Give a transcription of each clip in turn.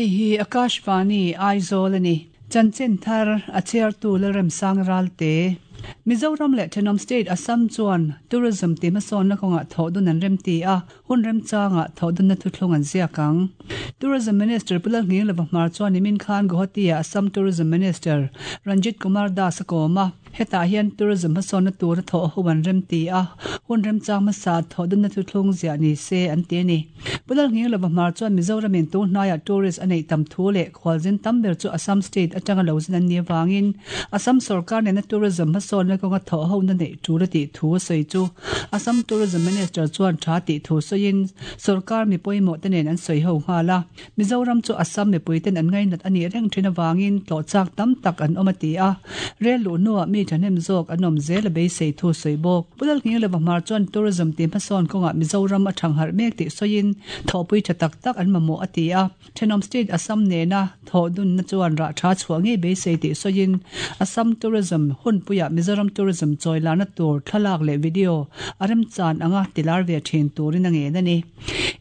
Hei hi Akashvani, Aizawl a ni. Chanchin thar a chhiartu Lalremsang Ralte. Mizoram leh thenawm state Assam chuan tourism tih hmasawnna kawngah thawhdun an remti a, hun remchangah thawhdunna thuthlung an ziak ang. Tourism Minister Pu Lalnghinglova Hmar chuan nimin khan Guwahati-ah Assam Tourism Minister Ranjit Kumar Das a kawm a. Hetah hian tourism hmasawnna tura thawh ho an remti a, hun remchang hmasa thawhdunna thuthlung ziah ni se an ti a ni. Pu Lalnghinglova Hmar chuan Mizoramin tun hnaiah tourist a neih tam thu leh khualzin tam ber chu Assam state atanga lo zin an nih avangin Assam sorkar nena tourism hmasawnna kawnga thawh hona neih tul a tih thu a sawi chu Assam Tourism Minister chuan tha tih thu sawiin sorkar mi pawimawh te nen an sawi ho nghal a. Mizoram chu Assam mipuiten an ngainat a nih reng thin avangin tlawh chak tam tak an awm a ti a, rel luh hnuah mi thahnem zawk an awm zel a beisei thu sawi bawk. Pu Lalnghinglova Hmar chuan tourism tih hmasawn kawngah Mizoram a thangharh mek tih sawiin thawhpui tha tak tak an mamawh a ti a, thenawm state Assam nena thawh dunna chuan rah tha chhuah ngei beisei tih sawiin Assam tourism hunpuiah Mizoram tourism chawi larna tur thlalak leh video a remchan anga tilar ve thin turin a ngen a ni.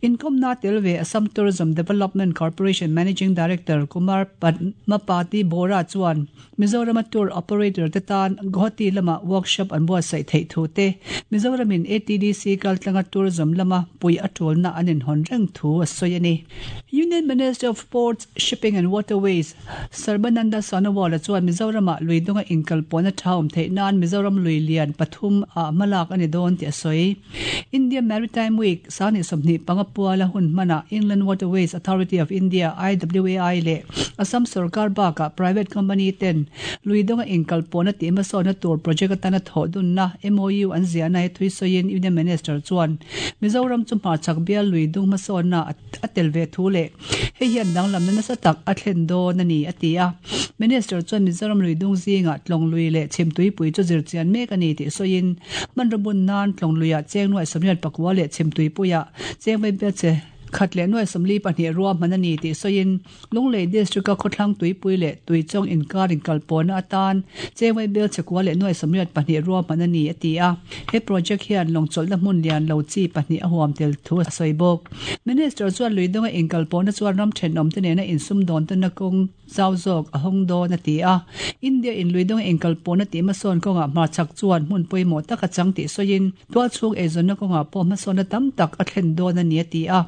Inkawmna tel ve Assam Tourism Development Corporation Managing Director Kumar Padmapati Bora chuan Mizorama tour operator te tan Guwahati lama workshop an buatsaih theih thu te, Mizoramin ATDC kaltlanga tourism lama pui a tulna an inhawn reng thu a sawi a ni. Union Minister of Ports, Shipping and Waterways Sarbananda Sonowal-a chuan Mizoramah lui dunga inkalpawhna tha awm theih nan Mizoram lui lian pathum ah hmalak a ni dawn tih a sawi. India Maritime Week sangni 25 puala hun hmanah Inland Waterways Authority of India, IWAI, leh Assam sorkar bakah private company ten lui dawnga inkalpawhna tih hmasawnna tur project atana thawh dunna MOU an ziahna hi thui sawiin Union Minister chuan Mizoram chu hmarchhak bial lui dung hmasawnna a tel ve thu leh hei hian danglamna nasa tak a thlen dawn a ni a ti a. Minister chuan Mizoram lui dung zingah tlawng lui leh chhimtuipui chu zirchian mek a ni tih sawiin Hmanraw bun nan tlawng luiah cheng nuaih 89 leh chhimtuipuiah cheng vaibel che khat leh nuaih 42 ruahman a ni tih sawiin Lunglei District-a khawthlang tuipui leh Tuichawng inkar inkalpawhna atan cheng vaibel che kua leh nuaih 82 ruahman a ni a ti a. He project hian lawngchawlhna hmun lian lo chi pahnih a huam tel thu a sawi bawk. Minister chuan luidunga inkalpawhna chuan ram thenawmte nena insumdawn tawna kawng zau zawk a hawng dawn a ti a. India in luidunga inkalpawhna tih hmasawn kawngah hmarchhak chuan hmun pawimawh tak a chang tih sawiin tualchhung eizawnna kawngah pawh hmasawnna tam tak a thlen dawn a ni a ti a.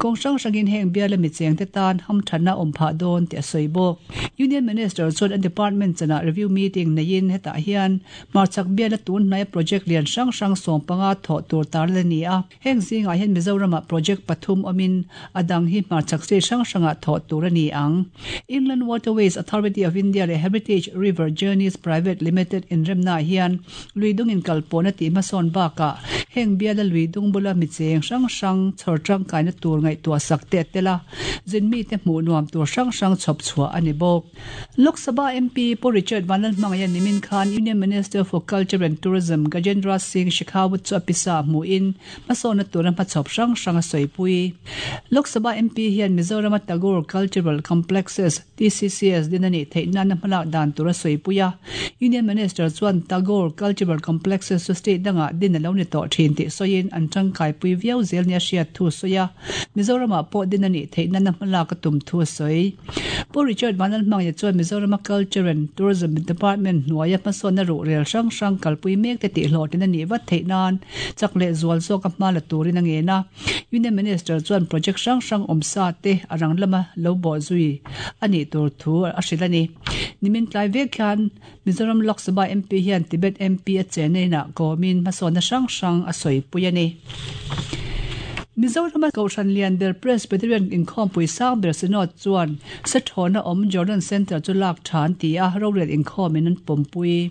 Kawng hrang hrangin heng biala michengte tan hamthatna a awm phah dawn tih a sawi bawk. Union Minister chuan a department chanah review meeting neiin hetah hian hmarchhak biala tun hnaia project lian hrang hrang 15 thawh tur tarlan a ni a. Heng zingah hian Mizoramah project pathum awmin a dang hi hmarchhak state hrang hrangah thawh tur a ni ang. Inland Waterways Authority of India leh Heritage River Journeys Private Limited inremnaah hian lui dung inkalpawhna tih hmasawn bakah heng biala lui dung bula mi cheng hrang hrang chhawr tangkaina tur ngaihtuah sak te a tel a, zin mite hmuh nuam tur hrang hrang chhawp chhuah a ni bawk. Lok Sabha MP Pu Richard Vanlalhmangaiha nimin khan Union Minister for Culture and Tourism Gajendra Singh Shekhawat chu a pisa hmuhin hmasawnna tura hmachhawp hrang hrang a sawipui. Lok Sabha MP hian Mizorama Tagore Cultural Complexes, TCCS, din a nih theih nana hmalak dan tur a sawipui a. Union Minister chuan Tagore Cultural Complexes chu state dangah din a lo ni tawh thin tih sawiin an tangkaipui viau zel nia hriat thu a sawi a. Mizoramah pawh din a nih theih nana hmalak a tum thu a sawi. Pu Richard Vanlalhmangaiha chuan Mizorama Culture and Tourism Department hnuaia hmasawnna ruhrel hrang hrang kalpui mek te tihhlawhtlin a nih vat theih nan chak leh zual zawka hma la turin a ngen a. Union Minister chuan project hrang hrang awmsa te a rang lama lo bawh zui a nih tur thu a hrilh a ni. Nimin tlai vek hian Mizoram Lok Sabha MP hian Tibet MP a chenna inah kawmin hmasawnna hrang hrang a sawipui a ni. Mizorama Kohhran lian ber Presbyterian inkhawmpui sang ber Synod chuan Sethawna awm Jordan Centre chu lak tha an ti a, rorel inkhawmin an pawmpui.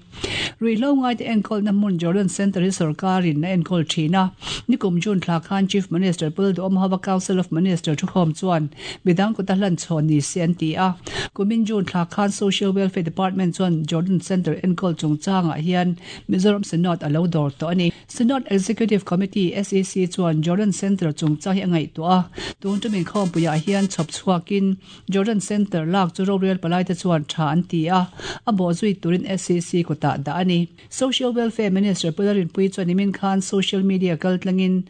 Ruihhlo ngaite enkawlna hmun Jordan Centre hi sorkarin a enkawl thin a. Nikum June thla khan Chief Minister Pu Lalduhawmhova Council of Minister thukhawm chuan Midang kuta hlan chhawn ni se an ti a. Kumin June thla khan Social Welfare Department chuan Jordan Centre enkawl chungchangah hian Mizoram Synod a lo dawr tawh a ni. Synod Executive Committee, SEC, chuan Jordan Centre chungchang hi a ngaihtuah a, tun tum inkhawmpuiah hian chhawp chhuakin Jordan Centre lak chu rorel palaite chuan tha an ti a, a bawhzui turin SEC kutah dah a ni. Social Welfare Minister Pu Larinpuii chuan nimin khan social media kaltlangin.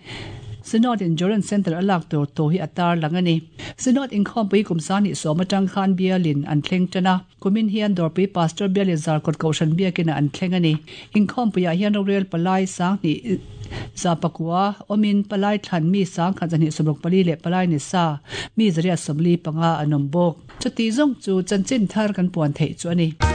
Synod in Joran Centre a lak tur thu hi a tarlang a ni. Synod inkhawmpui kum 2010 atang khan bialin an thleng tan a, kumin hian Dawrpui Pastor bialin Zarkawt Kohhran biakina an thleng a ni. Inkhawmpuiah hian rorel palai 2100 awmin palai thlan mi 1264 leh palai ni sa mi 845 an awm bawk. Chuti zawng chu chanchin thar kan puan theih chu a ni.